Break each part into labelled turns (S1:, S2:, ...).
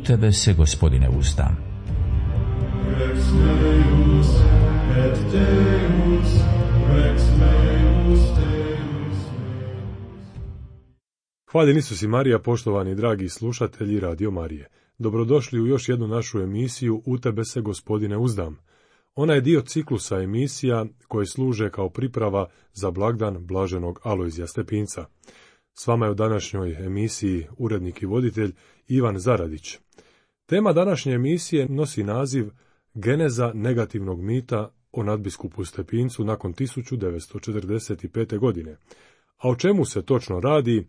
S1: U tebe se, Gospodine, uzdam.
S2: Rex Deus et Deus, Rex meus Deus.
S3: Hvaljeni Isus i Marija, poštovani dragi slušatelji Radio Marije. Dobrodošli u još jednu našu emisiju U tebe se, Gospodine, uzdam. Ona je dio ciklusa emisija koje služe kao priprava za blagdan blaženog Alojzija Stepinca. S vama je u današnjoj emisiji urednik i voditelj Ivan Zaradić. Tema današnje emisije nosi naziv Geneza negativnog mita o nadbiskupu Stepincu nakon 1945. godine. A o čemu se točno radi,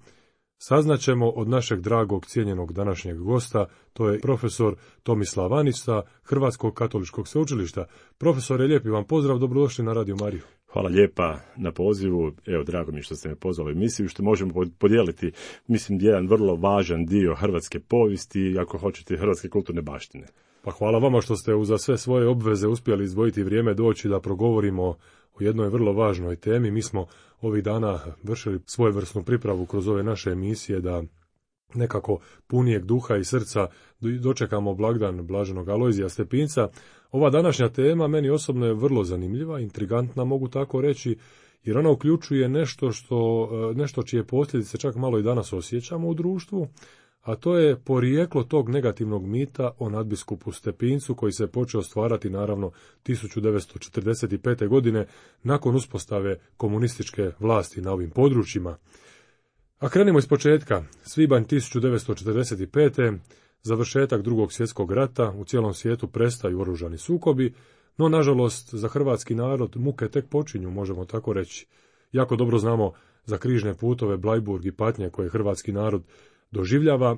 S3: saznaćemo od našeg dragog cijenjenog današnjeg gosta, to je profesor Tomislav Anić sa Hrvatskog katoličkog sveučilišta. Profesore, lijepi vam pozdrav, dobrodošli na Radio Mariju.
S4: Hvala lijepa na pozivu, evo drago mi što ste me pozvali u emisiju, što možemo podijeliti, mislim, jedan vrlo važan dio hrvatske povijesti i ako hoćete hrvatske kulturne baštine.
S3: Pa hvala vama što ste uza sve svoje obveze uspjeli izdvojiti vrijeme doći da progovorimo o jednoj vrlo važnoj temi. Mi smo ovih dana vršili svojevrsnu pripravu kroz ove naše emisije da nekako punijeg duha i srca dočekamo blagdan blaženog Alojzija Stepinca. Ova današnja tema meni osobno je vrlo zanimljiva, intrigantna mogu tako reći, jer ona uključuje nešto čije posljedice čak malo i danas osjećamo u društvu, a to je porijeklo tog negativnog mita o nadbiskupu Stepincu koji se počeo stvarati naravno 1945. godine nakon uspostave komunističke vlasti na ovim područjima. A krenimo iz početka. Svibanj 1945. završetak Drugog svjetskog rata, u cijelom svijetu prestaju oružani sukobi, no nažalost za hrvatski narod muke tek počinju, možemo tako reći. Jako dobro znamo za križne putove, Blajburg i patnje koje hrvatski narod doživljava.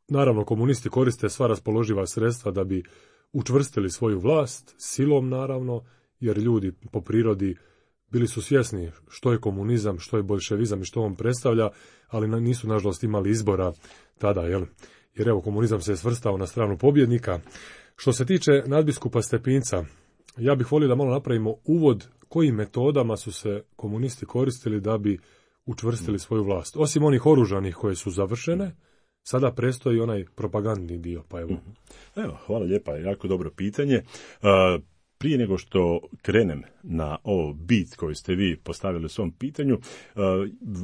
S3: Naravno, komunisti koriste sva raspoloživa sredstva da bi učvrstili svoju vlast, silom naravno, jer ljudi po prirodi bili su svjesni što je komunizam, što je boljševizam i što on predstavlja, ali nisu nažalost imali izbora tada, jer evo komunizam se je svrstao na stranu pobjednika. Što se tiče nadbiskupa Stepinca, ja bih volio da malo napravimo uvod kojim metodama su se komunisti koristili da bi učvrstili svoju vlast. Osim onih oružanih koje su završene, sada prestoji onaj propagandni dio. Pa evo.
S4: Hvala lijepa, jako dobro pitanje. Prije nego što krenem na ovo bit koji ste vi postavili u svom pitanju,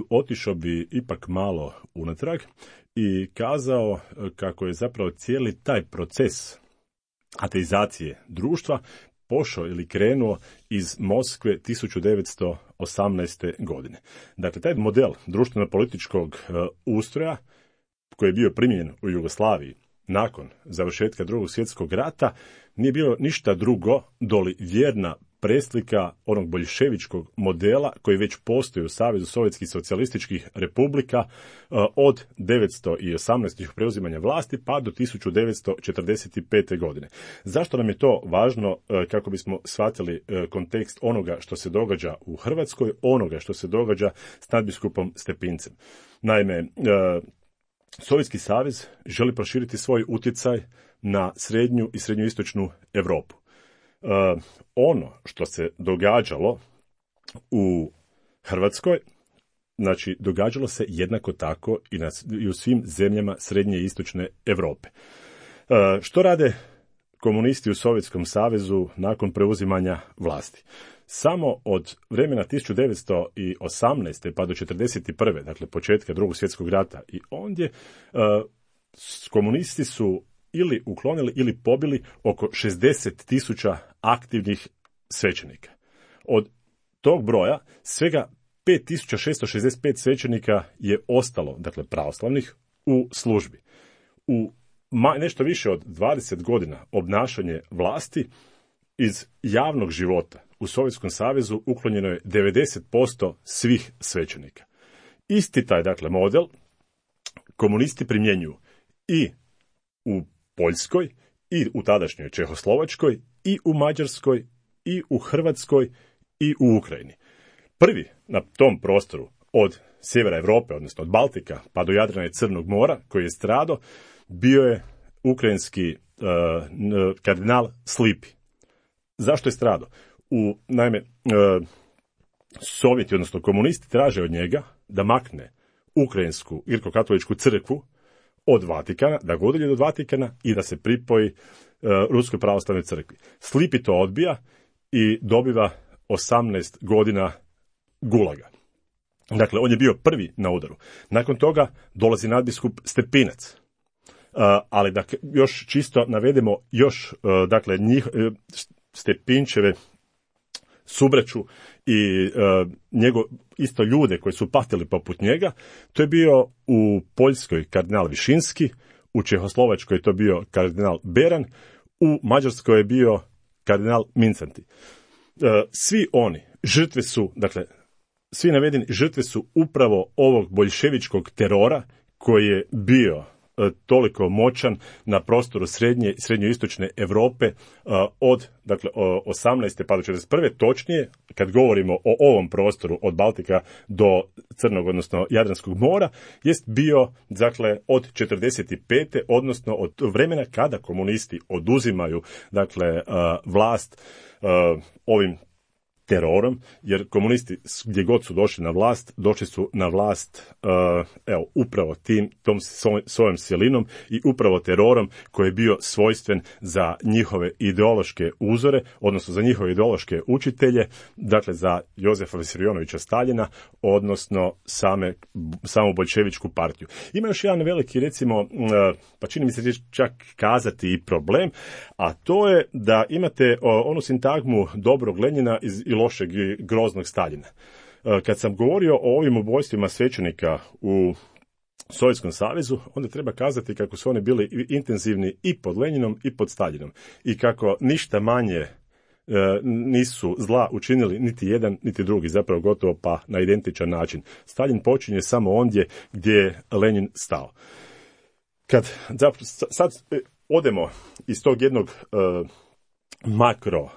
S4: otišao bi ipak malo unatrag i kazao kako je zapravo cijeli taj proces ateizacije društva pošao ili krenuo iz Moskve 1918. godine. Dakle, taj model društveno-političkog ustroja koji je bio primijenjen u Jugoslaviji nakon završetka Drugog svjetskog rata nije bilo ništa drugo doli vjerna preslika onog boljševičkog modela koji već postoji u Savezu sovjetskih socijalističkih republika od 1918. preuzimanja vlasti pa do 1945. godine. Zašto nam je to važno kako bismo shvatili kontekst onoga što se događa u Hrvatskoj, onoga što se događa s nadbiskupom Stepincem? Naime, Sovjetski savez želi proširiti svoj utjecaj na srednju i srednjoistočnu Europu. Ono što se događalo u Hrvatskoj, znači događalo se jednako tako i u svim zemljama srednje i istočne Europe. Što rade komunisti u Sovjetskom savezu nakon preuzimanja vlasti? Samo od vremena 1918. pa do 1941. dakle početka Drugog svjetskog rata i ondje, komunisti su ili uklonili ili pobili oko 60.000 aktivnih svećenika. Od tog broja svega 5.665 svećenika je ostalo, dakle pravoslavnih, u službi. U nešto više od 20 godina obnašanje vlasti iz javnog života u Sovjetskom savezu uklonjeno je 90% svih svećenika. Isti taj, dakle, model komunisti primjenjuju i u Poljskoj, i u tadašnjoj Čehoslovačkoj, i u Mađarskoj, i u Hrvatskoj, i u Ukrajini. Prvi na tom prostoru od sjevera Europe, odnosno od Baltika, pa do Jadrana i Crnog mora, koji je stradao, bio je ukrajinski kardinal Slipi. Zašto je stradao? Naime, Sovjeti, odnosno komunisti, traže od njega da makne ukrajinsku grko-katoličku crkvu od Vatikana, da ga udalji od Vatikana i da se pripoji Ruskoj pravoslavnoj crkvi. Slipi to odbija i dobiva 18 godina gulaga. Dakle, on je bio prvi na udaru. Nakon toga dolazi nadbiskup Stepinac. Ali da još čisto navedemo još, dakle, Stepinčeve subraću i isto ljude koji su patili poput njega. To je bio u Poljskoj kardinal Višinski, u Čehoslovačkoj je to bio kardinal Beran, u Mađarskoj je bio kardinal Mincanti. Svi oni žrtve su, dakle, svi navedeni žrtve su upravo ovog boljševičkog terora koji je bio toliko moćan na prostoru srednjoistočne Europe od, dakle, 18. pa do 41. Točnije, kad govorimo o ovom prostoru od Baltika do Crnog, odnosno Jadranskog mora, jest bio, dakle, od 45. odnosno od vremena kada komunisti oduzimaju, dakle, vlast ovim terorom, jer komunisti gdje god su došli na vlast, došli su na vlast upravo tom svojom silinom i upravo terorom koji je bio svojstven za njihove ideološke uzore, odnosno za njihove ideološke učitelje, dakle za Jozefa Visarionovića Staljina, odnosno samu boljševičku partiju. Ima još jedan veliki, recimo, pa čini mi se čak kazati i problem, a to je da imate onu sintagmu dobrog Lenjina i lošeg i groznog Staljina. Kad sam govorio o ovim ubojstvima svećenika u Sovjetskom savezu, onda treba kazati kako su oni bili intenzivni i pod Lenjinom i pod Staljinom i kako ništa manje nisu zla učinili niti jedan niti drugi, zapravo gotovo pa na identičan način. Staljin počinje samo ondje gdje je Lenjin stao. Kad sad odemo iz tog jednog makro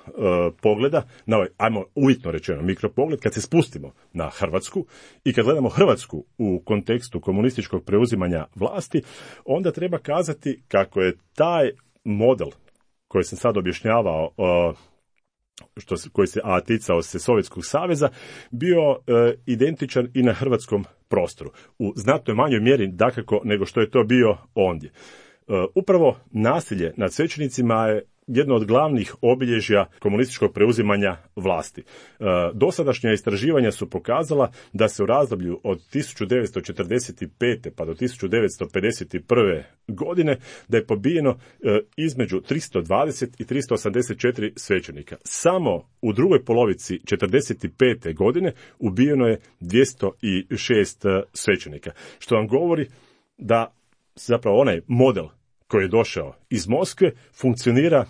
S4: pogleda, na ovaj, ajmo uvjetno rečeno mikropogled, kad se spustimo na Hrvatsku i kad gledamo Hrvatsku u kontekstu komunističkog preuzimanja vlasti, onda treba kazati kako je taj model koji sam sad objašnjavao, koji se ticao se Sovjetskog saveza, bio identičan i na hrvatskom prostoru. U znatno manjoj mjeri dakako nego što je to bio ondje. Upravo nasilje nad svećenicima je jedno od glavnih obilježja komunističkog preuzimanja vlasti. Dosadašnja istraživanja su pokazala da se u razdoblju od 1945. pa do 1951. godine da je pobijeno između 320 i 384 svećenika. Samo u drugoj polovici 1945. godine ubijeno je 206 svećenika, što vam govori da zapravo onaj model koji je došao iz Moskve funkcionira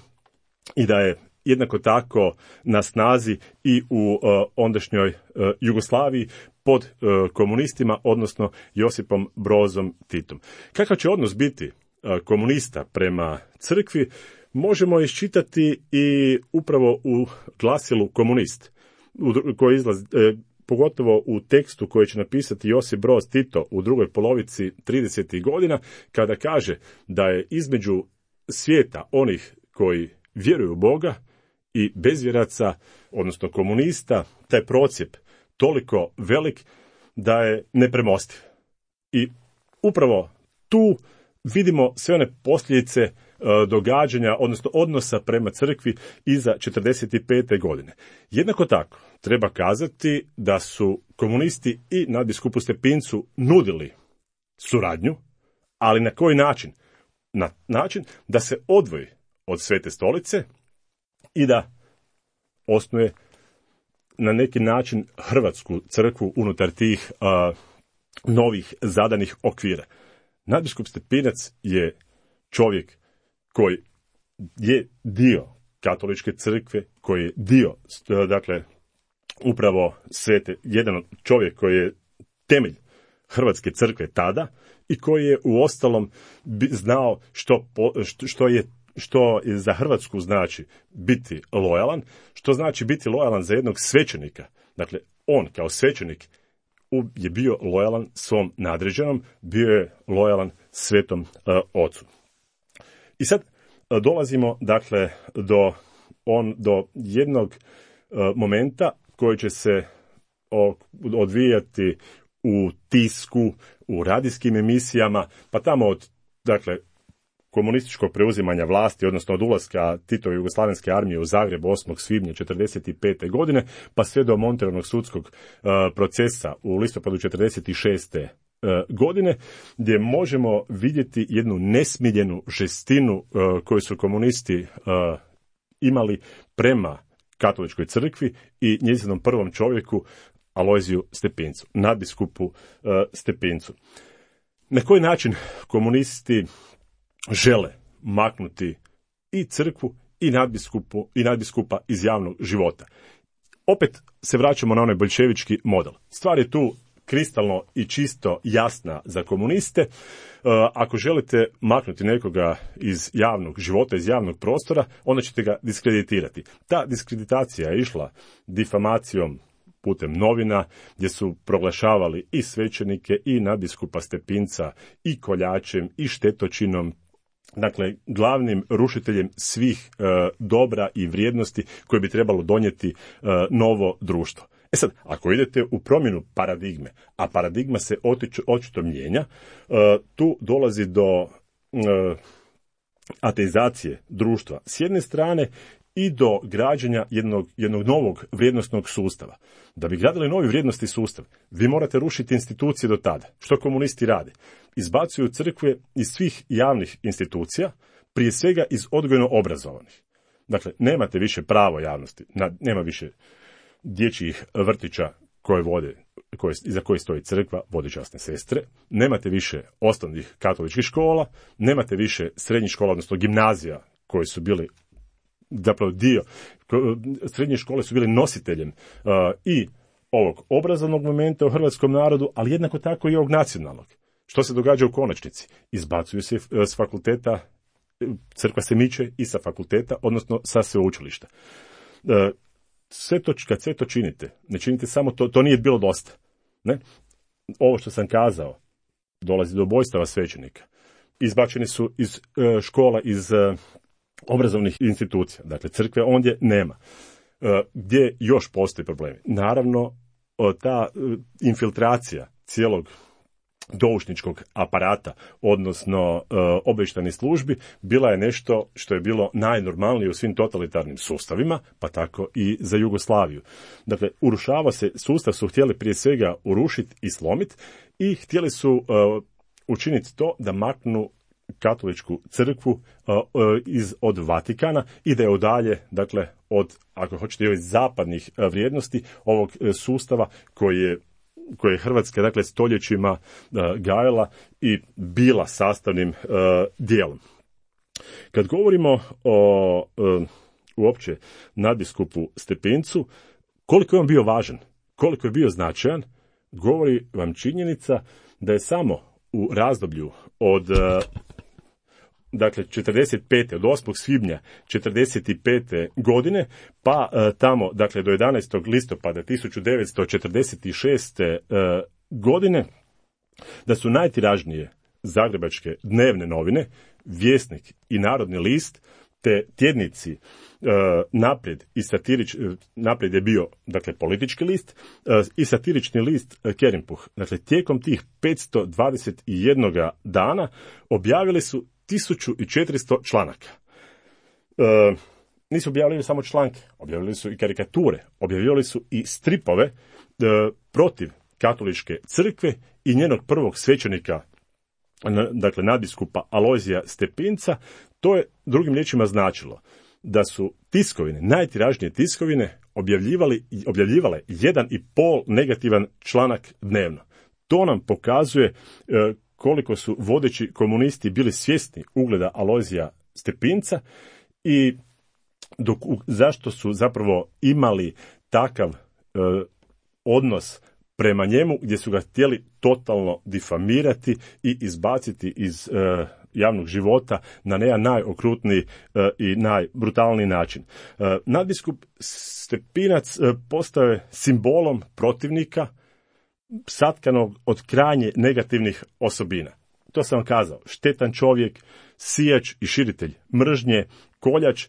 S4: i da je jednako tako na snazi i u ondašnjoj Jugoslaviji pod komunistima, odnosno Josipom Brozom Titom. Kakav će odnos biti komunista prema crkvi, možemo iščitati i upravo u glasilu Komunist, koji izlazi pogotovo u tekstu koji će napisati Josip Broz Tito u drugoj polovici 30. godina, kada kaže da je između svijeta onih koji vjeruju u Boga i bezvjeraca, odnosno komunista, taj procjep toliko velik da je nepremostiv. I upravo tu vidimo sve one posljedice događanja, odnosno odnosa prema crkvi iza 45. godine. Jednako tako treba kazati da su komunisti i nadbiskupu Stepincu nudili suradnju, ali na koji način? Na način da se odvoji od Svete stolice i da osnuje na neki način hrvatsku crkvu unutar tih novih zadanih okvira. Nadbiskup Stepinac je čovjek koji je dio katoličke crkve, koji je dio, dakle, upravo jedan čovjek koji je temelj hrvatske crkve tada i koji je uostalom znao što za Hrvatsku znači biti lojalan, što znači biti lojalan za jednog svećenika. Dakle, on kao svećenik je bio lojalan svom nadređenom, bio je lojalan Svetom Ocu. I sad dolazimo, dakle, do jednog momenta koji će se odvijati u tisku, u radijskim emisijama, pa tamo od dakle, komunističkog preuzimanja vlasti, odnosno od ulaska Titove jugoslavenske armije u Zagreb 8. svibnja 1945. godine, pa sve do Monternovog sudskog procesa u listopadu 1946. godine, gdje možemo vidjeti jednu nesmiljenu žestinu koju su komunisti imali prema katoličkoj crkvi i njezinom prvom čovjeku Alojziju Stepincu, nadbiskupu Stepincu. Na koji način komunisti žele maknuti i crkvu i nadbiskupa iz javnog života? Opet se vraćamo na onaj boljševički model. Stvar je tu kristalno i čisto jasna za komuniste. Ako želite maknuti nekoga iz javnog života, iz javnog prostora, onda ćete ga diskreditirati. Ta diskreditacija je išla difamacijom putem novina, gdje su proglašavali i svećenike i nadbiskupa Stepinca i koljačem i štetočinom, dakle glavnim rušiteljem svih dobra i vrijednosti koje bi trebalo donijeti novo društvo. E sad, ako idete u promjenu paradigme, a paradigma se očito mijenja, tu dolazi do ateizacije društva s jedne strane i do građenja jednog novog vrijednosnog sustava. Da bi gradili novi vrijednosni sustav, vi morate rušiti institucije do tada. Što komunisti rade? Izbacuju crkve iz svih javnih institucija, prije svega iz odgojno-obrazovanih. Dakle, nemate više pravo javnosti, nema više dječjih vrtića koje vode, iza koje stoji crkva, vode časne sestre, nemate više osnovnih katoličkih škola, nemate više srednjih škola, odnosno gimnazija koji su bili zapravo dio, srednje škole su bili nositeljem i ovog obrazovnog momenta u hrvatskom narodu, ali jednako tako i ovog nacionalnog. Što se događa u konačnici? Izbacuju se s fakulteta, crkva se miče i sa fakulteta, odnosno sa sveučilišta. Kad sve to činite, ne činite samo to, to nije bilo dosta. Ne? Ovo što sam kazao, dolazi do ubojstava svećenika. Izbačeni su iz škola, iz obrazovnih institucija. Dakle, crkve ondje nema. Gdje još postoji problemi? Naravno, ta infiltracija cijelog doušničkog aparata, odnosno obavještajnih službi, bila je nešto što je bilo najnormalnije u svim totalitarnim sustavima, pa tako i za Jugoslaviju. Dakle, urušava se, sustav su htjeli prije svega urušiti i slomiti i htjeli su učiniti to da maknu katoličku crkvu od Vatikana i da je odalje, dakle, od, ako hoćete, od zapadnih vrijednosti ovog sustava koji je Hrvatska, dakle, stoljećima gajila i bila sastavnim dijelom. Kad govorimo o uopće nadbiskupu Stepincu, koliko je on bio važan, koliko je bio značajan, govori vam činjenica da je samo u razdoblju od dakle 45. od 8. svibnja 45. godine pa tamo dakle do 11. listopada 1946. godine, da su najtiražnije zagrebačke dnevne novine Vjesnik i Narodni list te tjednici Naprijed i Naprijed je bio, dakle, politički list i satirični list Kerimpuh. Dakle, tijekom tih 521 dana objavili su 1400 članaka. Nisu objavili samo članke, objavili su i karikature, objavili su i stripove protiv katoličke crkve i njenog prvog svećenika, dakle nadbiskupa Alojzija Stepinca. To je drugim riječima značilo da su tiskovine, najtiražnije tiskovine, objavljivale 1,5 negativan članak dnevno. To nam pokazuje koliko su vodeći komunisti bili svjesni ugleda Alojzija Stepinca i zašto su zapravo imali takav odnos prema njemu, gdje su ga htjeli totalno difamirati i izbaciti iz javnog života na jedan najokrutniji i najbrutalniji način. Nadbiskup Stepinac postao je simbolom protivnika satkanog od krajnje negativnih osobina. To sam vam kazao, štetan čovjek, sijač i širitelj mržnje, koljač,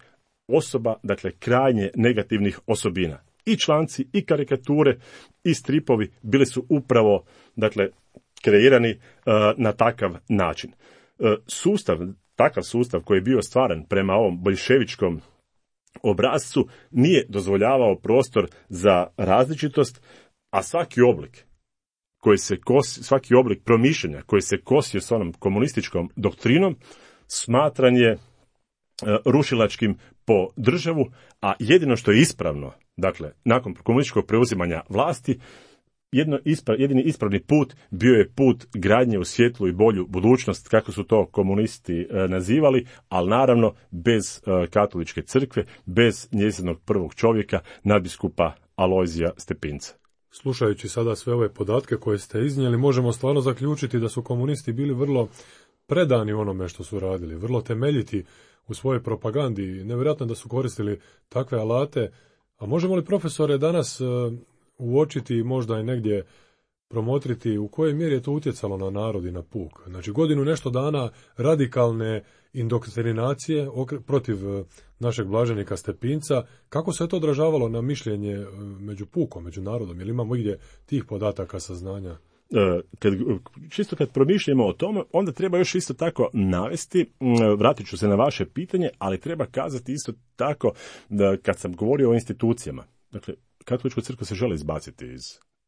S4: osoba, dakle, krajnje negativnih osobina. I članci, i karikature, i stripovi bili su upravo, dakle, kreirani na takav način. takav sustav koji je bio stvaran prema ovom boljševičkom obrascu nije dozvoljavao prostor za različitost, a svaki oblik promišljanja koji se kosio s onom komunističkom doktrinom smatran je rušilačkim po državu, a jedino što je ispravno, dakle, nakon komunističkog preuzimanja vlasti, jedini ispravni put bio je put gradnje u svjetlu i bolju budućnost, kako su to komunisti nazivali, ali naravno bez katoličke crkve, bez njezinog prvog čovjeka, nadbiskupa Alojzija Stepinca.
S3: Slušajući sada sve ove podatke koje ste iznijeli, možemo stvarno zaključiti da su komunisti bili vrlo predani onome što su radili, vrlo temeljiti u svojoj propagandi. Nevjerojatno da su koristili takve alate. A možemo li, profesore, danas uočiti, možda i negdje promotriti u kojoj mjeri je to utjecalo na narod i na puk? Znači, godinu nešto dana radikalne indoktrinacije protiv našeg blaženika Stepinca, kako se to odražavalo na mišljenje među pukom, među narodom? Jel imamo igdje tih podataka, saznanja?
S4: Kad promišljamo o tome, onda treba još isto tako navesti, vratit ću se na vaše pitanje, ali treba kazati isto tako da kad sam govorio o institucijama, dakle, katolička crkva se želi izbaciti iz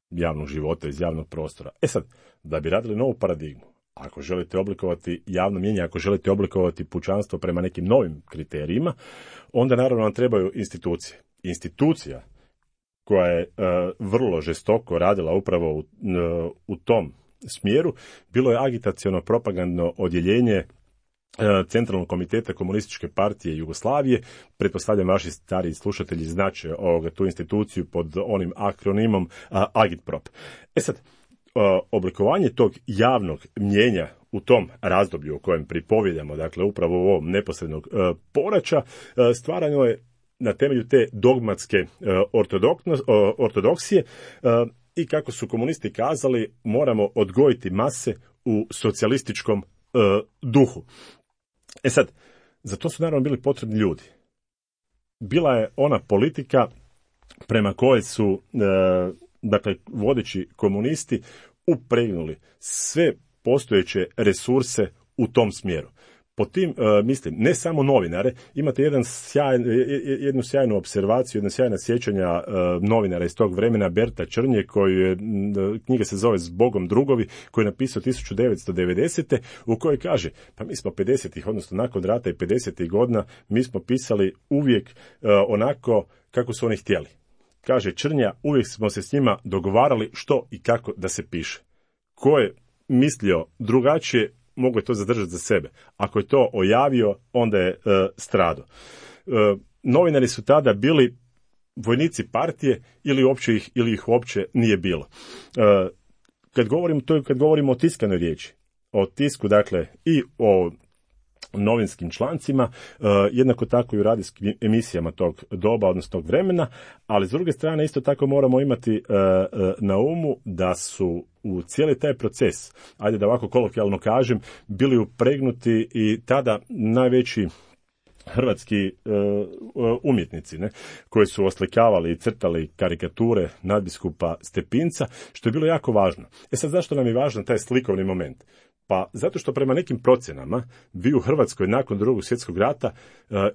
S4: javnog života, iz javnog prostora. Sad, da bi radili novu paradigmu, ako želite oblikovati javno mnijenje, ako želite oblikovati pučanstvo prema nekim novim kriterijima, onda naravno nam trebaju institucije. Institucija koja je vrlo žestoko radila upravo u tom smjeru, bilo je agitaciono propagandno odjeljenje Centralnog komiteta Komunističke partije Jugoslavije. Pretpostavljam vaši stariji slušatelji znače tu instituciju pod onim akronimom Agitprop. Sad, oblikovanje tog javnog mnijenja u tom razdoblju u kojem pripovjedamo, dakle upravo u ovom neposrednog poraća, stvarano je na temelju te dogmatske ortodoksije i kako su komunisti kazali, moramo odgojiti mase u socijalističkom duhu. Sad, za to su naravno bili potrebni ljudi. Bila je ona politika prema kojoj su, dakle, vodeći komunisti upregnuli sve postojeće resurse u tom smjeru. Po tim, mislim, ne samo novinare, imate jednu sjajnu observaciju, jedno sjajno sjećanja novinara iz tog vremena, Berta Črnje, knjiga se zove Zbogom drugovi, koji je napisao 1990. u kojoj kaže, pa mi smo 50-ih, odnosno nakon rata i 50-ih godina, mi smo pisali uvijek onako kako su oni htjeli. Kaže Črnja, uvijek smo se s njima dogovarali što i kako da se piše. Ko je mislio drugačije, mogu je to zadržati za sebe. Ako je to ojavio, onda je stradao. Novinari su tada bili vojnici partije ili ih uopće nije bilo. Kad govorimo o tiskanoj riječi, o tisku, dakle, i o novinskim člancima, jednako tako i u radijskim emisijama tog doba, odnosno tog vremena, ali s druge strane isto tako moramo imati na umu da su u cijeli taj proces, ajde da ovako kolokvijalno kažem, bili upregnuti i tada najveći hrvatski umjetnici, koji su oslikavali i crtali karikature nadbiskupa Stepinca, što je bilo jako važno. Sad, zašto nam je važan taj slikovni moment? Pa zato što prema nekim procjenama vi u Hrvatskoj nakon Drugog svjetskog rata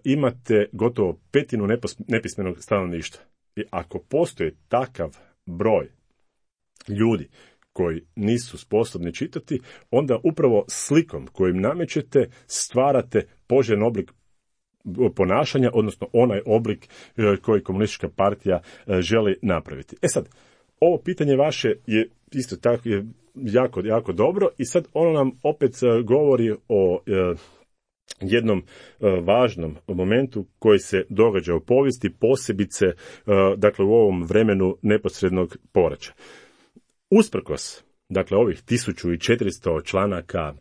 S4: imate gotovo 1/5 nepismenog stanovništva. I ako postoji takav broj ljudi koji nisu sposobni čitati, onda upravo slikom kojim namećete stvarate poželjen oblik ponašanja, odnosno onaj oblik koji komunistička partija želi napraviti. Sad, ovo pitanje vaše je isto tako je jako, jako dobro i sad ono nam opet govori o jednom važnom momentu koji se događa u povijesti, posebice dakle u ovom vremenu neposrednog poraća. Usprkos, dakle, ovih 1400 članaka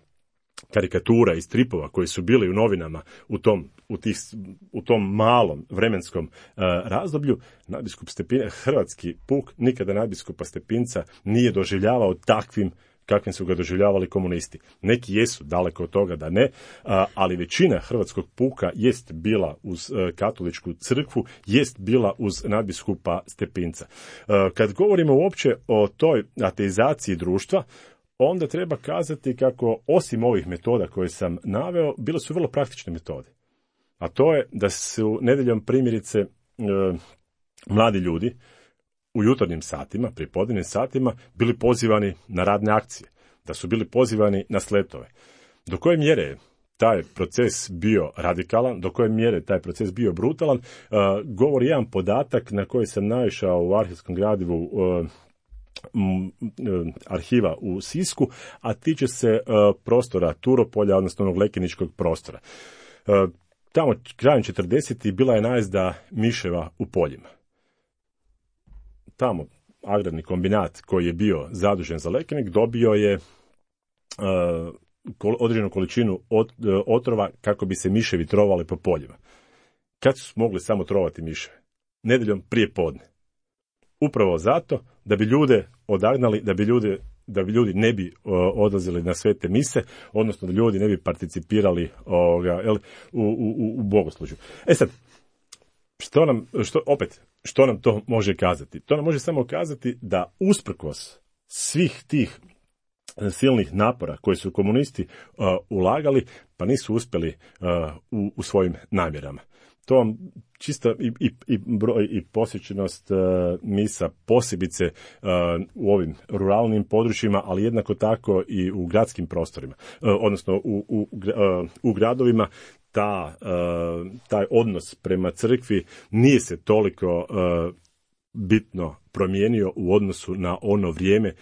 S4: karikatura i stripova koji su bili u novinama u tom malom vremenskom razdoblju, nadbiskup Stepinca, hrvatski puk, nikada nadbiskupa Stepinca nije doživljavao takvim kakvim su ga doživljavali komunisti. Neki jesu, daleko od toga da ne, ali većina hrvatskog puka jest bila uz katoličku crkvu, jest bila uz nadbiskupa Stepinca. Kad govorimo uopće o toj ateizaciji društva, onda treba kazati kako osim ovih metoda koje sam naveo, bile su vrlo praktične metode. A to je da su nedjeljom primjerice mladi ljudi u jutarnjim satima, pripodnevnim satima, bili pozivani na radne akcije, da su bili pozivani na sletove. Do koje mjere je taj proces bio radikalan, do koje mjere taj proces bio brutalan, govori jedan podatak na koji sam naišao u arhivskom gradivu arhiva u Sisku, a tiče se prostora Turopolja, odnosno onog lekeničkog prostora. Tamo krajem 40. bila je najezda miševa u poljima. Tamo agrarni kombinat koji je bio zadužen za Lekenik dobio je određenu količinu otrova kako bi se miševi trovali po poljima. Kad su mogli samo trovati miševe? Nedjeljom prije podne. Upravo zato da bi ljude odagnali, da bi ljudi ne bi odlazili na svete mise, odnosno da ljudi ne bi participirali u bogoslužju. Sad, što nam to može kazati? To nam može samo kazati da usprkos svih tih silnih napora koje su komunisti ulagali, pa nisu uspjeli u svojim namjerama. To vam čisto i broj i posjećenost misa posebice u ovim ruralnim područjima, ali jednako tako i u gradskim prostorima, odnosno u gradovima. Taj odnos prema crkvi nije se toliko bitno promijenio u odnosu na ono vrijeme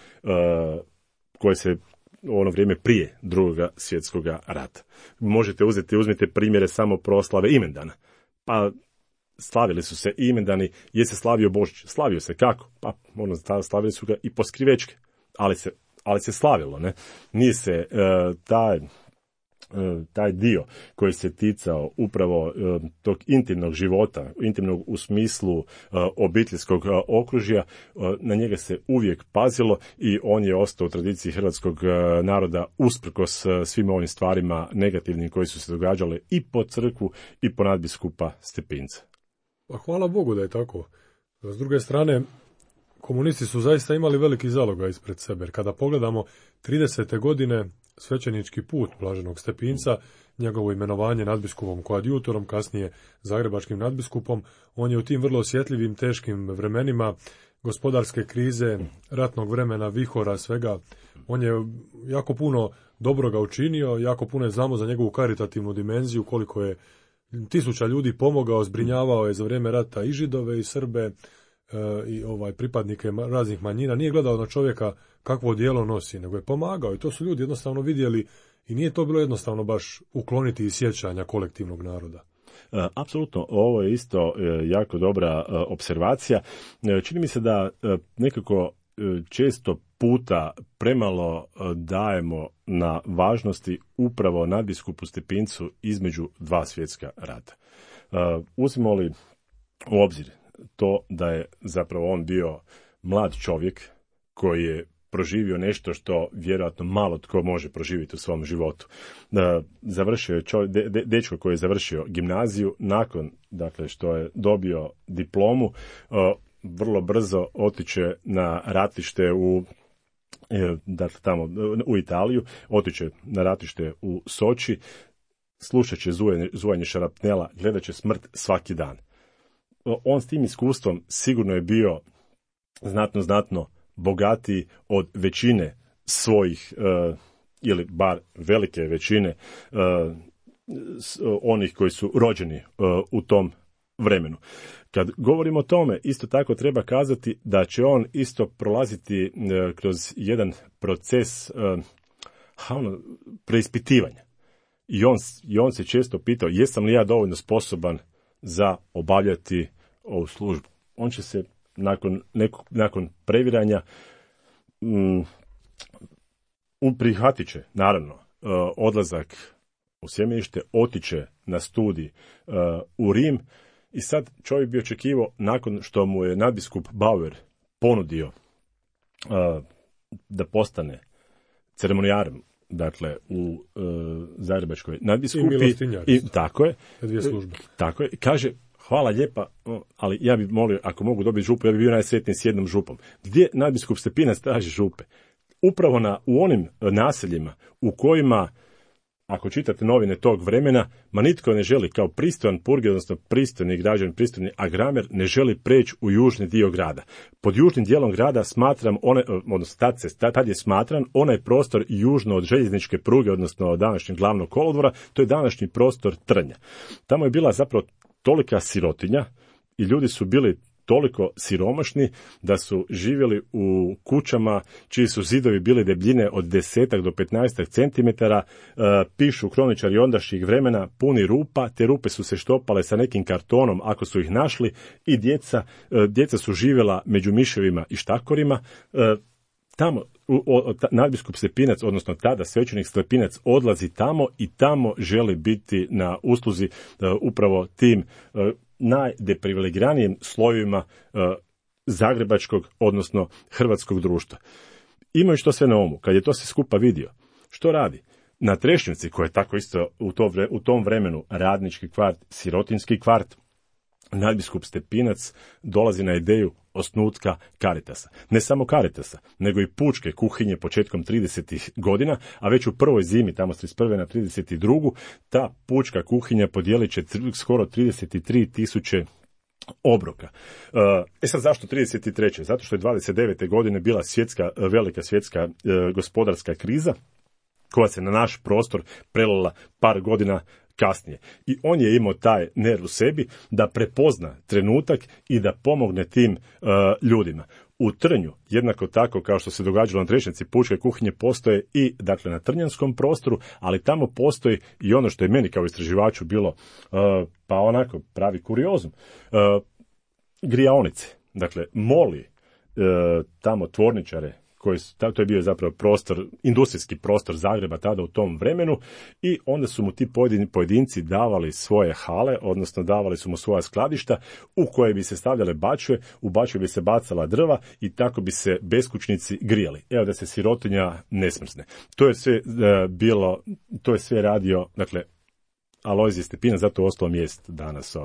S4: koje se ono vrijeme prije Drugoga svjetskog rata. Uzmite primjere samo proslave imendana. Pa slavili su se imendani, je se slavio Božić. Slavio se kako? Pa slavili su ga i po skrivečke, ali se slavilo, ne? Nije se taj dio koji se ticao upravo tog intimnog života, intimnog u smislu obiteljskog okružja, na njega se uvijek pazilo i on je ostao u tradiciji hrvatskog naroda usprkos svim ovim stvarima negativnim koji su se događale i po crkvu i po nadbiskupa Stepinca.
S3: Pa hvala Bogu da je tako. S druge strane, komunisti su zaista imali veliki zalogaj ispred sebe. Kada pogledamo 30. godine svećenički put blaženog Stepinca, njegovo imenovanje nadbiskupom koadjutorom, kasnije zagrebačkim nadbiskupom, on je u tim vrlo osjetljivim, teškim vremenima gospodarske krize, ratnog vremena, vihora, svega, on je jako puno dobroga učinio, jako puno je znamo za njegovu karitativnu dimenziju, koliko je 1000 ljudi pomogao, zbrinjavao je za vrijeme rata i Židove i Srbe, i pripadnike raznih manjina, nije gledao na čovjeka kakvo djelo nosi, nego je pomagao i to su ljudi jednostavno vidjeli i nije to bilo jednostavno baš ukloniti iz sjećanja kolektivnog naroda.
S4: Apsolutno, ovo je isto jako dobra observacija. Čini mi se da nekako često puta premalo dajemo na važnosti upravo nadbiskupu Stepincu između dva svjetska rata. Uzmemo li u obzir to da je zapravo on bio mlad čovjek koji je proživio nešto što vjerojatno malo tko može proživjeti u svom životu. Završio je dečko koji je završio gimnaziju, nakon što je dobio diplomu, vrlo brzo otiče na ratište u Italiju, otiče na ratište u Soči, slušat će zujanje šarapnela, gledat će smrt svaki dan. On s tim iskustvom sigurno je bio znatno bogatiji od većine svojih, ili bar velike većine onih koji su rođeni u tom vremenu. Kad govorimo o tome, isto tako treba kazati da će on isto prolaziti kroz jedan proces preispitivanja. I on se često pitao, jesam li ja dovoljno sposoban za obavljati ovu službu. On će se nakon previranja prihvatit će, naravno, odlazak u sjemenište, otiće na studij u Rim i sad čovjek bi očekivao, nakon što mu je nadbiskup Bauer ponudio da postane ceremonijarem, dakle u Zagrebačkoj nadbiskupi, tako je, kaže, hvala lijepa, ali ja bih molio, ako mogu dobiti župu, ja bih bio najsretniji s jednom župom. Gdje nadbiskup Stepinac traži župe? upravo u onim naseljima u kojima, ako čitate novine tog vremena, ma nitko ne želi kao pristojan purger, odnosno pristojni građan, pristojni agramer, ne želi preći u južni dio grada. Pod južnim dijelom grada smatram, tad je smatran onaj prostor južno od željezničke pruge, odnosno od današnjeg glavnog kolodvora, to je današnji prostor Trnja. Tamo je bila zapravo tolika sirotinja i ljudi su bili toliko siromašni da su živjeli u kućama čiji su zidovi bili debljine od 10 do 15 centimetara, pišu kroničari ondašnjih vremena, puni rupa, te rupe su se štopale sa nekim kartonom ako su ih našli i djeca su živjela među miševima i štakorima. Tamo nadbiskup Stepinac, odnosno tada svećenik Stepinac, odlazi tamo i tamo želi biti na usluzi upravo tim najdeprivilegiranijim slojevima zagrebačkog, odnosno hrvatskog društva. Imajući to sve na umu, kad je to sve skupa vidio, što radi? Na Trešnjevci, koja je tako isto u tom vremenu radnički kvart, sirotinski kvart, nadbiskup Stepinac dolazi na ideju osnutka Caritasa. Ne samo Caritasa, nego i pučke kuhinje početkom 30. godina, a već u prvoj zimi, tamo s 31. na 32. ta pučka kuhinja podijelit će skoro 33.000 obroka. Sad zašto 33. Zato što je 29. godine bila velika svjetska gospodarska kriza, koja se na naš prostor prelila par godina kasnije. I on je imao taj nerv u sebi da prepozna trenutak i da pomogne tim ljudima. U Trnju, jednako tako kao što se događalo na Trešnjevci, pučke kuhinje postoje i dakle na trnjanskom prostoru, ali tamo postoji i ono što je meni kao istraživaču bilo pa onako pravi kuriozum. Grijaonice, dakle moli tamo tvorničare, to je bio zapravo industrijski prostor Zagreba tada u tom vremenu, i onda su mu ti pojedinci davali svoje hale, odnosno davali su mu svoja skladišta u koje bi se stavljale bačve, u bačve bi se bacala drva i tako bi se beskućnici grijali. Evo da se sirotinja ne smrzne. To je sve radio, dakle, Alojzije Stepinac, zato ostalo mjest danas.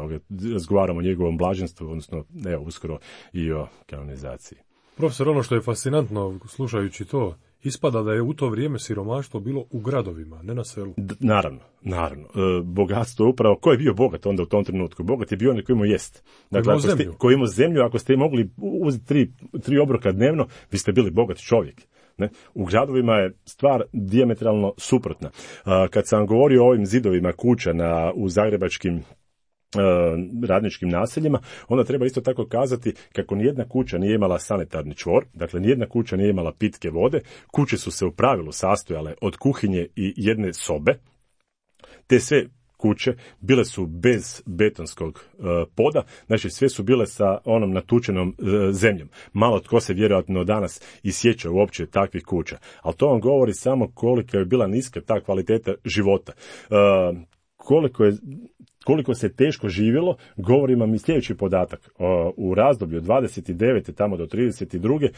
S4: Razgovaramo o njegovom blaženstvu, odnosno uskoro i o kanonizaciji.
S3: Profesor, ono što je fascinantno slušajući to, ispada da je u to vrijeme siromaštvo bilo u gradovima, ne na selu.
S4: Naravno. Bogatstvo je upravo, ko je bio bogat onda u tom trenutku? Bogat je bio onaj koji imao jest. Dakle, koji imao zemlju, ako ste mogli uzeti tri obroka dnevno, vi ste bili bogat čovjek. Ne? U gradovima je stvar dijametralno suprotna. Kad sam govorio o ovim zidovima kuća u zagrebačkim radničkim naseljima, onda treba isto tako kazati kako nijedna kuća nije imala sanitarni čvor, dakle nijedna kuća nije imala pitke vode, kuće su se u pravilu sastojale od kuhinje i jedne sobe, te sve kuće bile su bez betonskog poda, znači sve su bile sa onom natučenom zemljom. Malo tko se vjerojatno danas i sjeća uopće takvih kuća, ali to vam govori samo koliko je bila niska ta kvaliteta života. Koliko se teško živjelo, govori vam i sljedeći podatak. U razdoblju od 29. tamo do 32.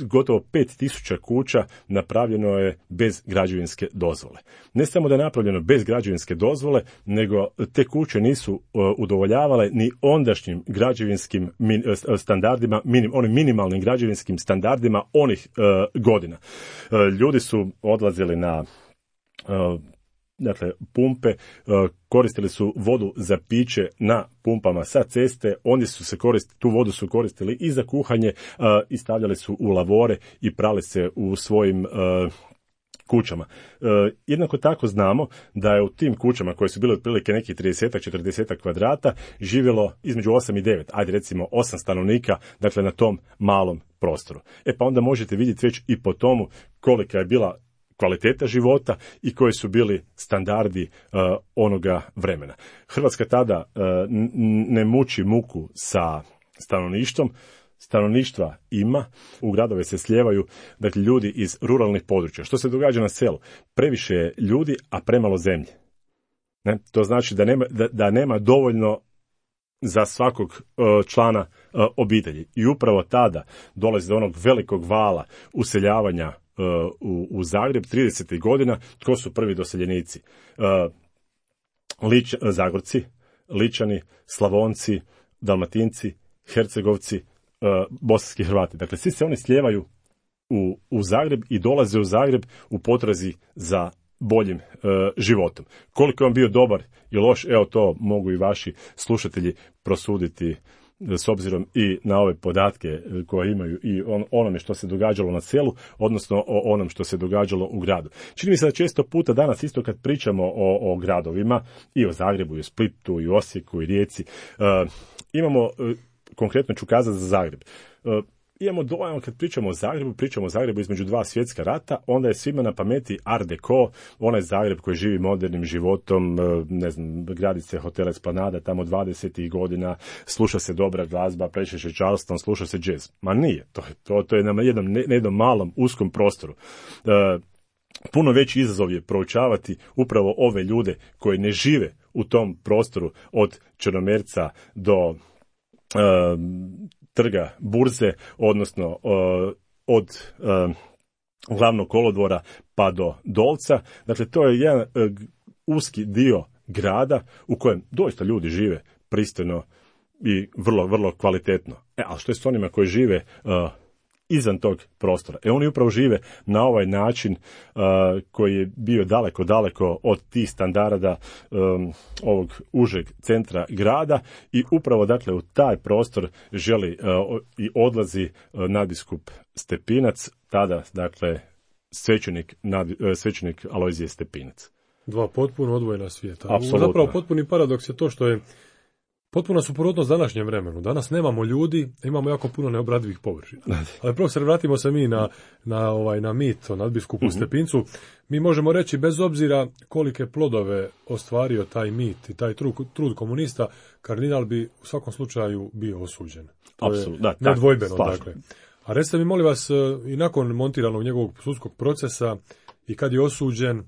S4: gotovo 5000 kuća napravljeno je bez građevinske dozvole. Ne samo da je napravljeno bez građevinske dozvole, nego te kuće nisu udovoljavale ni ondašnjim građevinskim standardima, onim minimalnim građevinskim standardima onih godina. Ljudi su odlazili na pumpe, koristili su vodu za piće na pumpama sa ceste, tu vodu su koristili i za kuhanje i stavljali su u lavore i prali se u svojim kućama. Jednako tako znamo da je u tim kućama koje su bile otprilike nekih 30-40 kvadrata živjelo između 8 i 9, ajde recimo 8 stanovnika, dakle na tom malom prostoru. Pa onda možete vidjeti već i po tomu kolika je bila kvaliteta života i koji su bili standardi onoga vremena. Hrvatska tada ne muči muku sa stanovništvom, stanovništva ima, u gradove se slijevaju, dakle, ljudi iz ruralnih područja. Što se događa na selu? Previše je ljudi, a premalo zemlje. Ne? To znači da nema dovoljno za svakog člana obitelji. I upravo tada dolazi do onog velikog vala useljavanja u Zagreb 30. godina. Tko su prvi doseljenici? Zagorci, Ličani, Slavonci, Dalmatinci, Hercegovci, bosanski Hrvati. Dakle, svi se oni slijevaju u Zagreb i dolaze u Zagreb u potrazi za boljim životom. Koliko je on bio dobar i loš, evo to mogu i vaši slušatelji prosuditi s obzirom i na ove podatke koje imaju i onome što se događalo na selu, odnosno o onom što se događalo u gradu. Čini mi se da često puta danas isto kad pričamo o gradovima, i o Zagrebu, i o Splitu, i o Osijeku, i Rijeci, imamo, konkretno ću kazati za Zagreb, imamo dojam kad pričamo o Zagrebu između dva svjetska rata, onda je svima na pameti Art Deco, onaj Zagreb koji živi modernim životom, ne znam, gradi se hotel Esplanada tamo 20. godina, sluša se dobra glazba, prečeše Charleston, sluša se jazz. Ma nije, to je na jednom malom, uskom prostoru. Puno veći izazov je proučavati upravo ove ljude koji ne žive u tom prostoru od Črnomerca do trga Burze, odnosno od glavnog kolodvora pa do Dolca. Dakle, to je jedan uski dio grada u kojem doista ljudi žive pristojno i vrlo, vrlo kvalitetno. Ali što je s onima koji žive izvan tog prostora? Oni upravo žive na ovaj način koji je bio daleko, daleko od tih standarda ovog užeg centra grada i upravo dakle u taj prostor želi i odlazi nadbiskup Stepinac, tada dakle svećenik Alojzije Stepinac.
S3: Dva potpuno odvojena svijeta.
S4: Apsolutno.
S3: Zapravo potpuni paradoks je to što je potpuna suprotnost današnjem vremenu. Danas nemamo ljudi, imamo jako puno neobradivih površina. Ali profesor, vratimo se mi na mit o nadbiskupu Stepincu. Mi možemo reći, bez obzira kolike plodove ostvario taj mit i taj trud komunista, kardinal bi u svakom slučaju bio osuđen.
S4: Apsolutno,
S3: nedvojbeno, dakle. A recite mi, molim vas, i nakon montiranog njegovog sudskog procesa i kad je osuđen,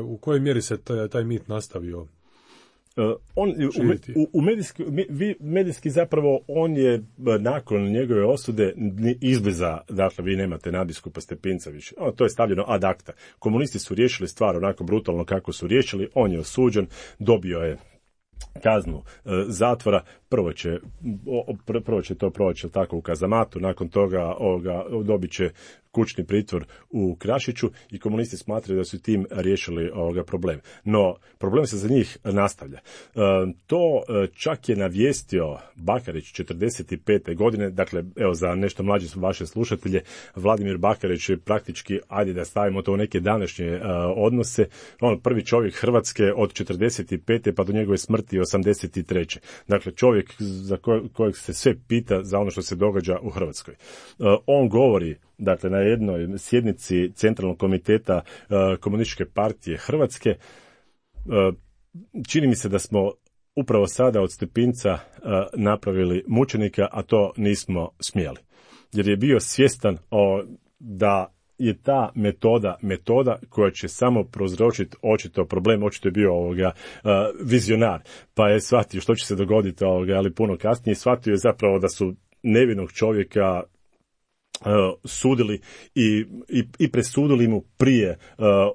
S3: u kojoj mjeri se taj mit nastavio?
S4: Medijski zapravo on je nakon njegove osude izbliza, dakle vi nemate nadbiskupa Stepinca više. To je stavljeno ad acta. Komunisti su riješili stvar onako brutalno kako su riješili, on je osuđen, dobio je kaznu zatvora, prvo će to proći tako u kazamatu, nakon toga dobit će kućni pritvor u Krašiću i komunisti smatraju da su tim riješili problem. No, problem se za njih nastavlja. To čak je navijestio Bakarić 45. godine, dakle, evo za nešto mlađe su vaše slušatelje, Vladimir Bakarić je praktički, ajde da stavimo to u neke današnje odnose, prvi čovjek Hrvatske od 45. pa do njegove smrti 83. Dakle, čovjek za kojeg se sve pita za ono što se događa u Hrvatskoj. On govori, dakle, na jednoj sjednici Centralnog komiteta Komunističke partije Hrvatske, čini mi se da smo upravo sada od Stepinca napravili mučenika, a to nismo smjeli. Jer je bio svjestan da je ta metoda koja će samo prouzročiti očito problem, očito je bio vizionar, pa je shvatio što će se dogoditi, ali puno kasnije shvatio je zapravo da su nevinog čovjeka sudili i presudili mu prije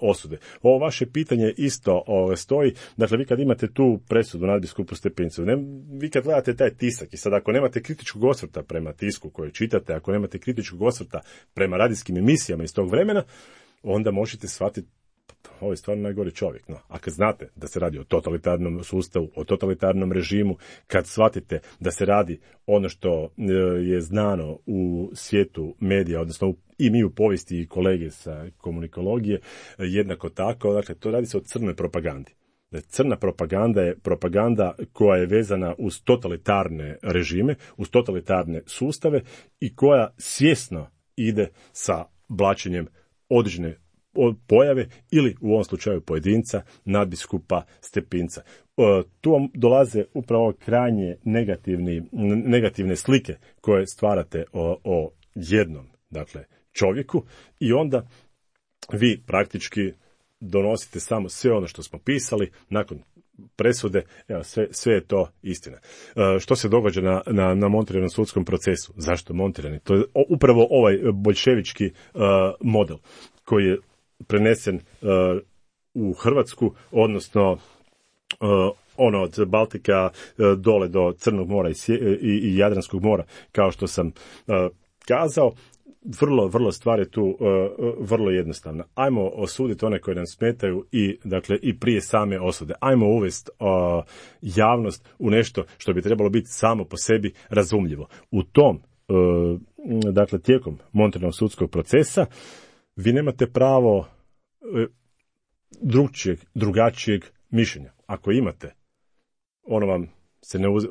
S4: osude. Ovo vaše pitanje isto stoji. Dakle, vi kad imate tu presudu nadbiskupu Stepincu, vi kad gledate taj tisak i sad ako nemate kritičkog osvrta prema tisku koje čitate, ako nemate kritičkog osvrta prema radijskim emisijama iz tog vremena, onda možete shvatiti ovo je stvarno najgori čovjek. No, a kad znate da se radi o totalitarnom sustavu, o totalitarnom režimu, kad shvatite da se radi ono što je znano u svijetu medija, odnosno i mi u povijesti i kolege sa komunikologije, jednako tako, dakle, to radi se o crnoj propagandi. Crna propaganda je propaganda koja je vezana uz totalitarne režime, uz totalitarne sustave i koja svjesno ide sa blaćenjem određene pojave ili u ovom slučaju pojedinca, nadbiskupa Stepinca. Tu vam dolaze upravo krajnje negativne slike koje stvarate o jednom, dakle, čovjeku i onda vi praktički donosite samo sve ono što smo pisali nakon presude, evo, sve je to istina. Što se događa na montiranom sudskom procesu? Zašto montirani? To je upravo ovaj boljševički model koji je prenesen u Hrvatsku, odnosno od Baltika dole do Crnog mora i Jadranskog mora, kao što sam kazao. vrlo stvar je tu vrlo jednostavna. Ajmo osuditi one koji nam smetaju i prije same osude. Ajmo uvesti javnost u nešto što bi trebalo biti samo po sebi razumljivo. U tom, dakle, tijekom monetarnog sudskog procesa vi nemate pravo drugačijeg mišljenja. Ako imate,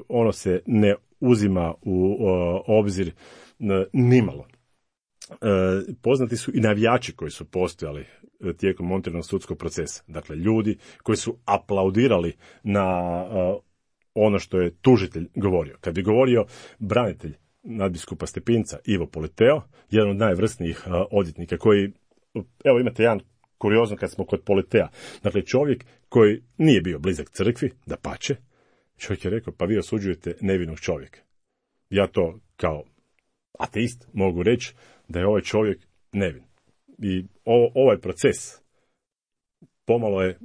S4: ono se ne uzima u obzir nimalo. Poznati su i navijači koji su postojali tijekom monetarnog sudskog procesa. Dakle, ljudi koji su aplaudirali na ono što je tužitelj govorio. Kad bi govorio branitelj nadbiskupa Stepinca Ivo Politeo, jedan od najvrsnijih odvjetnika koji, evo imate jedan kuriozno kad smo kod Politea. Dakle, čovjek koji nije bio blizak crkvi, dapače, čovjek je rekao, pa vi osuđujete nevinog čovjeka. Ja to kao ateist mogu reći da je ovaj čovjek nevin. I ovaj proces pomalo je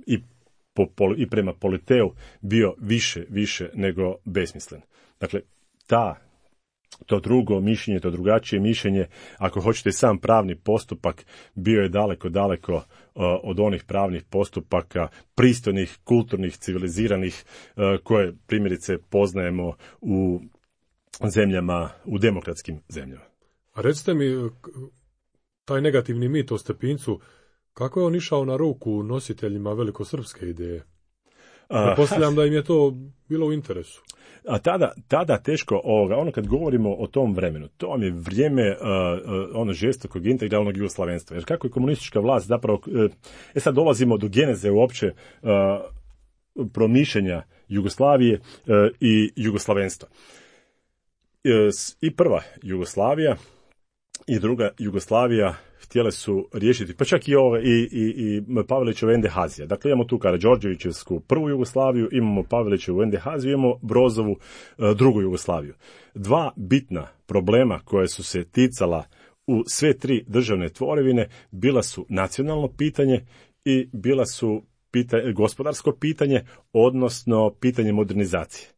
S4: i prema Politeu bio više nego besmislen. Dakle, to drugo mišljenje, to drugačije mišljenje, ako hoćete sam pravni postupak, bio je daleko od onih pravnih postupaka pristojnih, kulturnih, civiliziranih, koje primjerice poznajemo u zemljama, u demokratskim zemljama.
S3: A recite mi, taj negativni mit o Stepincu, kako je on išao na ruku nositeljima velikosrpske ideje? Pretpostavljam da im je to bilo u interesu.
S4: A tada teško ono kad govorimo o tom vremenu, to vam je vrijeme žestokog integralnog jugoslavenstva. Jer kako je komunistička vlast zapravo, sad dolazimo do geneze uopće promišljenja Jugoslavije i jugoslavenstva. I prva Jugoslavija i druga Jugoslavija htjele su riješiti, pa čak i Pavelićeva Endehazija. Dakle, imamo tu Karađorđevićevsku prvu Jugoslaviju, imamo Pavelićevu Endehaziju, imamo Brozovu drugu Jugoslaviju. Dva bitna problema koje su se ticala u sve tri državne tvorevine bila su nacionalno pitanje i bila su gospodarsko pitanje, odnosno pitanje modernizacije.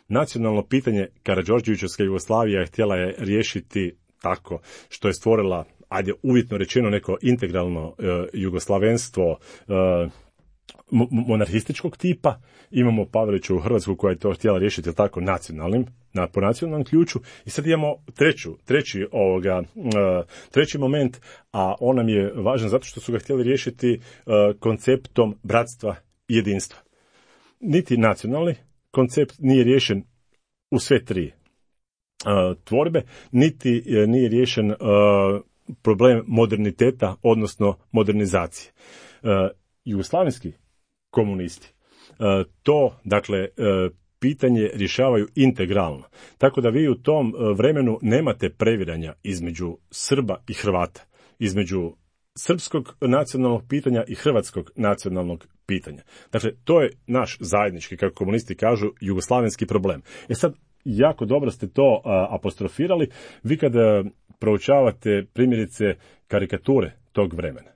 S4: Nacionalno pitanje Karađorđevićevska Jugoslavija htjela je riješiti tako što je stvorila, uvjetno rečeno, neko integralno jugoslavenstvo monarhističkog tipa. Imamo Pavelićevu Hrvatsku koja je to htjela riješiti tako po nacionalnom ključu. I sad imamo treći moment, a on nam je važan zato što su ga htjeli riješiti konceptom bratstva i jedinstva. Niti nacionalni koncept nije riješen u sve tri tvorbe, niti nije riješen problem moderniteta, odnosno modernizacije. Jugoslavenski komunisti pitanje rješavaju integralno. Tako da vi u tom vremenu nemate previranja između Srba i Hrvata, između srpskog nacionalnog pitanja i hrvatskog nacionalnog pitanja. Dakle, to je naš zajednički, kako komunisti kažu, jugoslavenski problem. Sad, jako dobro ste to apostrofirali. Vi kada proučavate primjerice karikature tog vremena,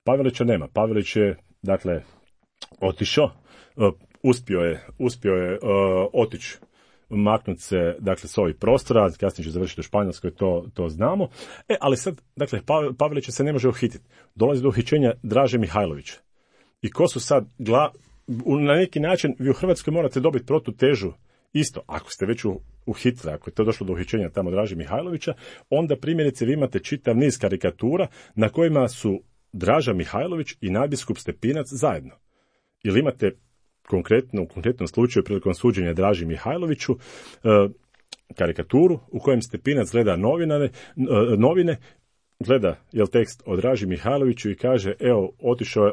S4: Pavelića nema. Pavelić je, otišao, uspio je otići, maknuti se, s ovih prostora, kasnije će završiti u Španjolskoj, to znamo. Ali sad, Pavelića se ne može uhititi. Dolazi do uhićenja Draže Mihajlovića. I ko su sad, na neki način, vi u Hrvatskoj morate dobiti protutežu. Isto, ako ste već uhitili, ako je to došlo do uhićenja tamo Draže Mihajlovića, onda primjerice vi imate čitav niz karikatura na kojima su Draža Mihajlović i nadbiskup Stepinac zajedno. Ili imate u konkretnom slučaju prilikom suđenja Draži Mihajloviću karikaturu u kojem Stepinac gleda novine, gleda tekst o Draži Mihajloviću i kaže, otišao je,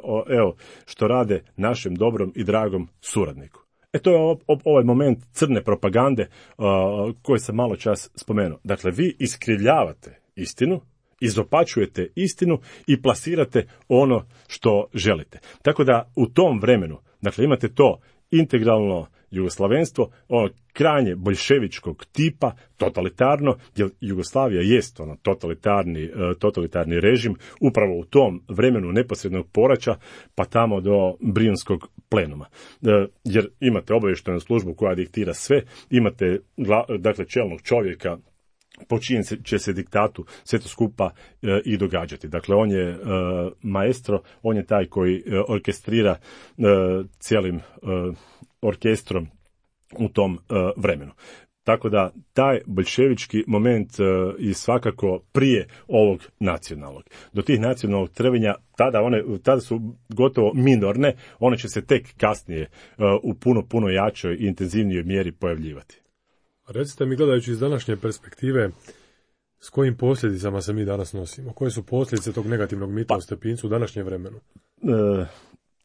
S4: što rade našem dobrom i dragom suradniku. To je ovaj moment crne propagande koji sam malo čas spomenuo. Dakle, vi iskrivljavate istinu, izopačujete istinu i plasirate ono što želite. Tako da u tom vremenu, imate to integralno jugoslavenstvo, ono krajnje boljševičkog tipa, totalitarno, jer Jugoslavija jest totalitarni režim, upravo u tom vremenu neposrednog poraća, pa tamo do Brijunskog plenuma. Jer imate obavještajnu službu koja diktira sve, imate čelnog čovjeka po čijem će se diktatu sve to skupa i događati. Dakle, on je maestro, on je taj koji orkestrira cijelim orkestrom u tom vremenu. Tako da taj boljševički moment je svakako prije ovog nacionalnog. Do tih nacionalnog trvenja tada su gotovo minorne, one će se tek kasnije u puno jačoj i intenzivnijoj mjeri pojavljivati.
S3: Recite mi, gledajući iz današnje perspektive, s kojim posljedicama se mi danas nosimo? Koje su posljedice tog negativnog mita o Stepincu u današnjem vremenu?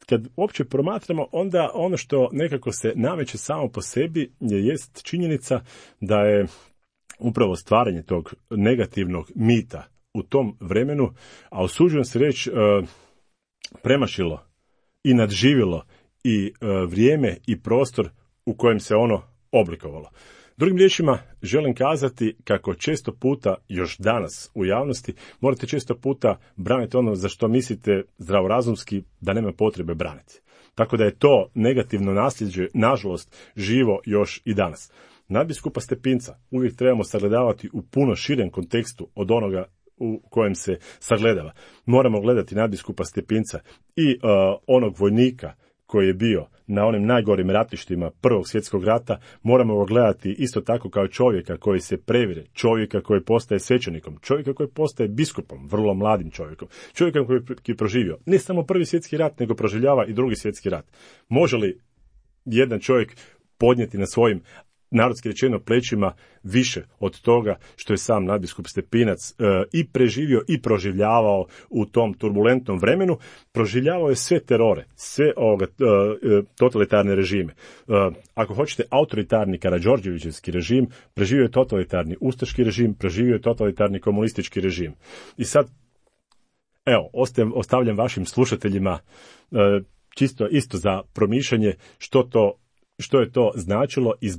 S4: Kad uopće promatramo, onda ono što nekako se nameće samo po sebi jest činjenica da je upravo stvaranje tog negativnog mita u tom vremenu, a usuđujem se reći, premašilo i nadživjelo i vrijeme i prostor u kojem se ono oblikovalo. Drugim riječima, želim kazati kako često puta, još danas u javnosti, morate često puta braniti ono za što mislite zdravorazumski da nema potrebe braniti. Tako da je to negativno nasljeđe, nažalost, živo još i danas. Nadbiskupa Stepinca uvijek trebamo sagledavati u puno širem kontekstu od onoga u kojem se sagledava. Moramo gledati nadbiskupa Stepinca i onog vojnika koji je bio na onim najgorim ratištima Prvog svjetskog rata, moramo ga gledati isto tako kao čovjeka koji se previre, čovjeka koji postaje svećenikom, čovjeka koji postaje biskupom, vrlo mladim čovjekom, čovjeka koji je proživio ne samo Prvi svjetski rat, nego proživljava i Drugi svjetski rat. Može li jedan čovjek podnijeti na svojim, narodski rečeno, plećima više od toga što je sam nadbiskup Stepinac i preživio i proživljavao u tom turbulentnom vremenu? Proživljavao je sve terore, sve totalitarne režime. Ako hoćete, autoritarni Karađorđevićevski režim, preživio je totalitarni ustaški režim, preživio je totalitarni komunistički režim. I sad, evo, ostavljam vašim slušateljima čisto isto za promišljanje što je to značilo i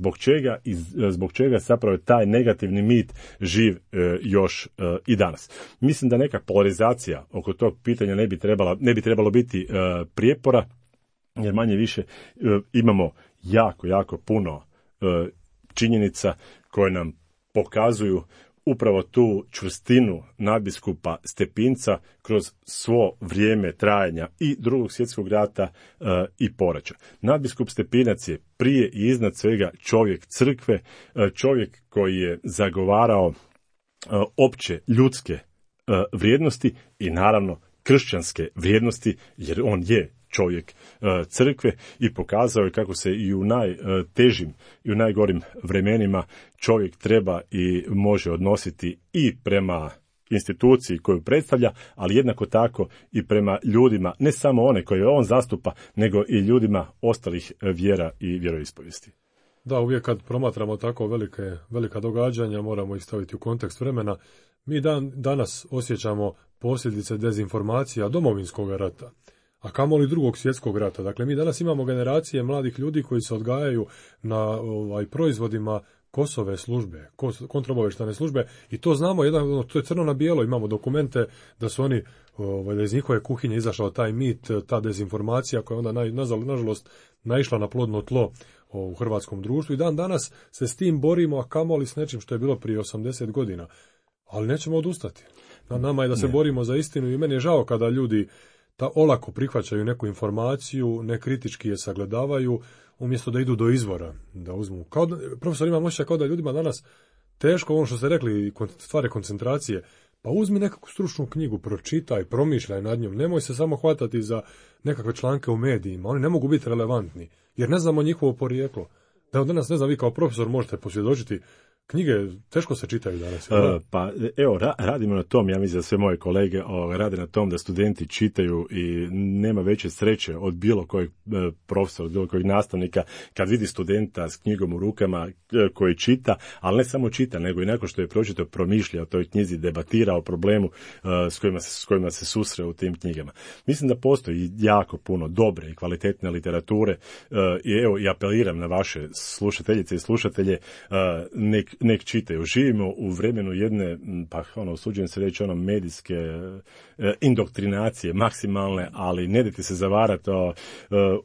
S4: zbog čega zapravo je taj negativni mit živ još i danas. Mislim da neka polarizacija oko tog pitanja ne bi trebalo biti prijepora, jer manje više imamo jako puno činjenica koje nam pokazuju upravo tu čvrstinu nadbiskupa Stepinca kroz svo vrijeme trajanja i Drugog svjetskog rata i poraća. Nadbiskup Stepinac je prije i iznad svega čovjek crkve, čovjek koji je zagovarao opće ljudske vrijednosti i naravno kršćanske vrijednosti, jer on je čovjek crkve i pokazao je kako se i u najtežim i u najgorim vremenima čovjek treba i može odnositi i prema instituciji koju predstavlja, ali jednako tako i prema ljudima, ne samo one koje on zastupa, nego i ljudima ostalih vjera i vjeroispovijesti.
S3: Da, uvijek kad promatramo tako velika događanja, moramo ih staviti u kontekst vremena. Mi danas osjećamo posljedice dezinformacija Domovinskog rata, a kamoli Drugog svjetskog rata. Dakle, mi danas imamo generacije mladih ljudi koji se odgajaju na proizvodima Kosove službe, kontraobavještajne službe, i to znamo, to je crno na bijelo, imamo dokumente da su oni, da iz njihove kuhinje izašao taj mit, ta dezinformacija koja je onda nažalost naišla na plodno tlo u hrvatskom društvu, i danas se s tim borimo, a kamoli s nečim što je bilo prije 80 godina. Ali nećemo odustati. Na nama je da se borimo za istinu, i meni je žao kada ljudi olako prihvaćaju neku informaciju, nekritički je sagledavaju, umjesto da idu do izvora, da uzmu. Profesor, imam osjećaj kao da ljudima danas teško, ono što ste rekli, stvari koncentracije, pa uzmi nekakvu stručnu knjigu, pročitaj, promišljaj nad njom, nemoj se samo hvatati za nekakve članke u medijima, oni ne mogu biti relevantni, jer ne znamo njihovo porijeklo. Da danas, ne znam, vi kao profesor možete posvjedočiti, knjige teško se čitaju danas.
S4: Pa evo, radimo na tom, ja mislim da sve moje kolege rade na tom da studenti čitaju, i nema veće sreće od bilo kojeg profesora, od bilo kojeg nastavnika kad vidi studenta s knjigom u rukama koji čita, ali ne samo čita, nego i nakon što je pročitao promišlja o toj knjizi, debatira o problemu s kojima se susre u tim knjigama. Mislim da postoji jako puno dobre i kvalitetne literature, i evo, i apeliram na vaše slušateljice i slušatelje, nek čitaju. Živimo u vremenu jedne, usuđujem se reći, medijske indoktrinacije maksimalne, ali ne dajte se zavarati,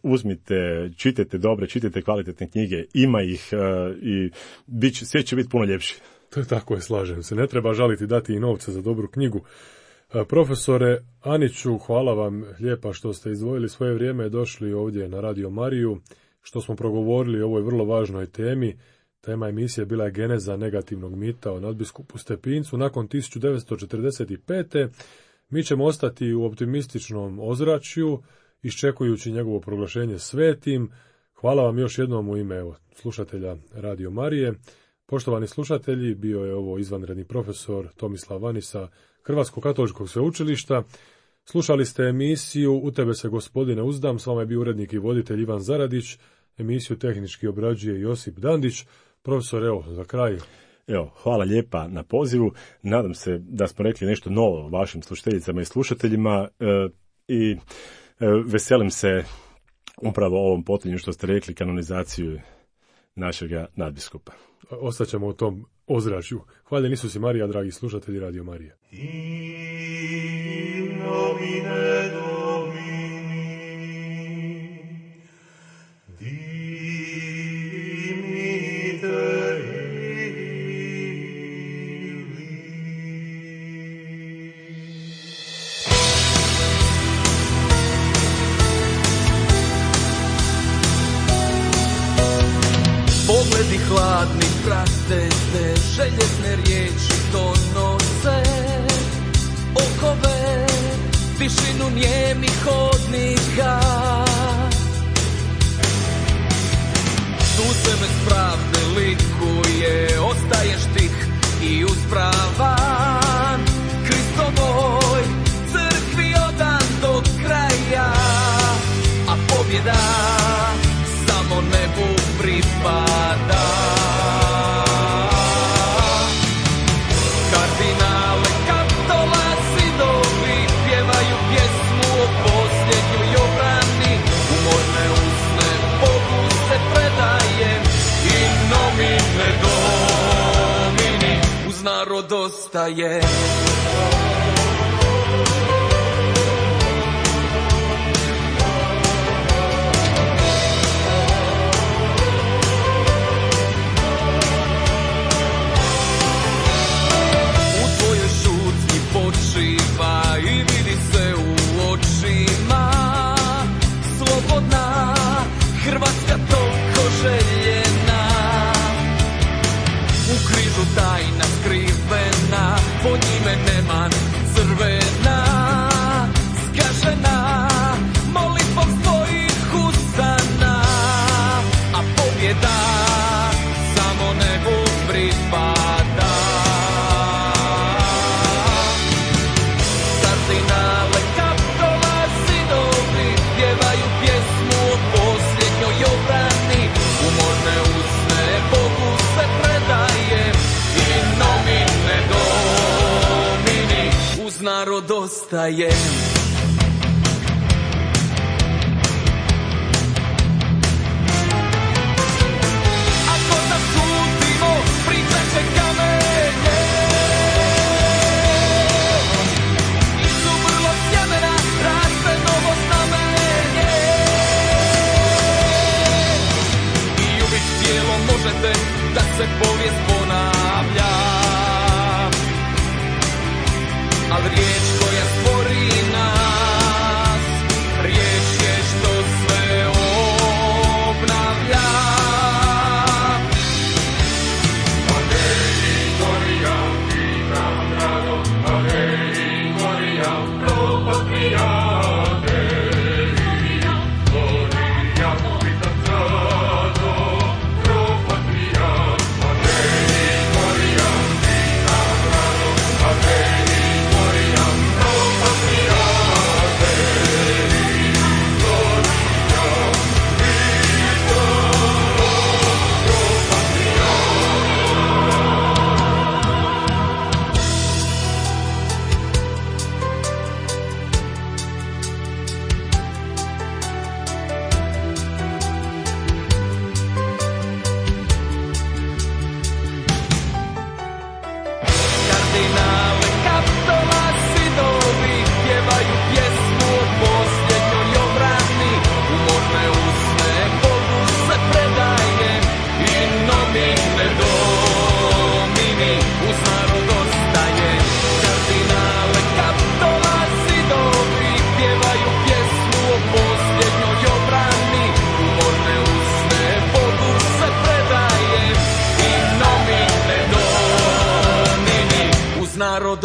S4: uzmite, čitajte dobre, čitajte kvalitetne knjige, ima ih, i sve će biti puno ljepše.
S3: Tako je, slažem se. Ne treba žaliti, dati i novce za dobru knjigu. Profesore Aniću, hvala vam lijepa što ste izdvojili svoje vrijeme, došli ovdje na Radio Mariju, što smo progovorili o ovoj vrlo važnoj temi. Tema emisije bila je geneza negativnog mita o nadbiskupu Stepincu. Nakon 1945. mi ćemo ostati u optimističnom ozračju, iščekujući njegovo proglašenje svetim. Hvala vam još jednom u ime slušatelja Radio Marije. Poštovani slušatelji, bio je ovo izvanredni profesor Tomislav Vanisa Hrvatskog katoličkog sveučilišta. Slušali ste emisiju U tebe se gospodine uzdam, s vama je bio urednik i voditelj Ivan Zaradić, emisiju tehnički obrađuje Josip Dandić. Profesor, evo, za kraj.
S4: Evo, hvala lijepa na pozivu. Nadam se da smo rekli nešto novo vašim slušateljicama i slušateljima i veselim se upravo ovom potonju što ste rekli, kanonizaciju našega nadbiskupa.
S3: Ostaćemo u tom ozračju. Hvala Isus i Marija, dragi slušatelji Radio Marije.
S5: Pogledi hladni prate te, željezne riječi donose okove, tišinu nijemnih hodnika. Suze bez pravde likuje, ostaješ tih i uspravan, Kristovoj crkvi odan do kraja, a pobjeda samo nebu pripada. Kardinale, katolasi dobi pjevaju pjesmu o posljednjoj obrani, umorne usne Bogu se predajem i nomine Domini uz narod ostaje. I vidi se u očima slobodna Hrvatska toliko željena, u križu tajna skrivena, po njime neman crvena, zgažena molitvom svojih usana, a pobjeda samo nebu pripada. Kardinale, katolasi dobi pjevaju pjesmu o posljednjoj obrani, umorne usne Bogu se predajem i nomine Domini uz narod ostajem. Ako zasudimo, pričat će kamenje, raste novo znamenje i uvijek tijelom možete da se povijest ponavlja, ali riječ koja stvori nas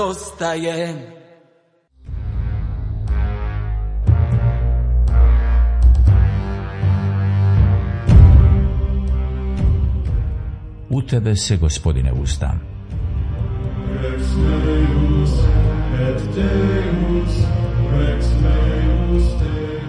S5: dosta je.
S1: U tebe se, Gospodine, uzdam.
S2: Rex meus et Deus, Rex meus Deus.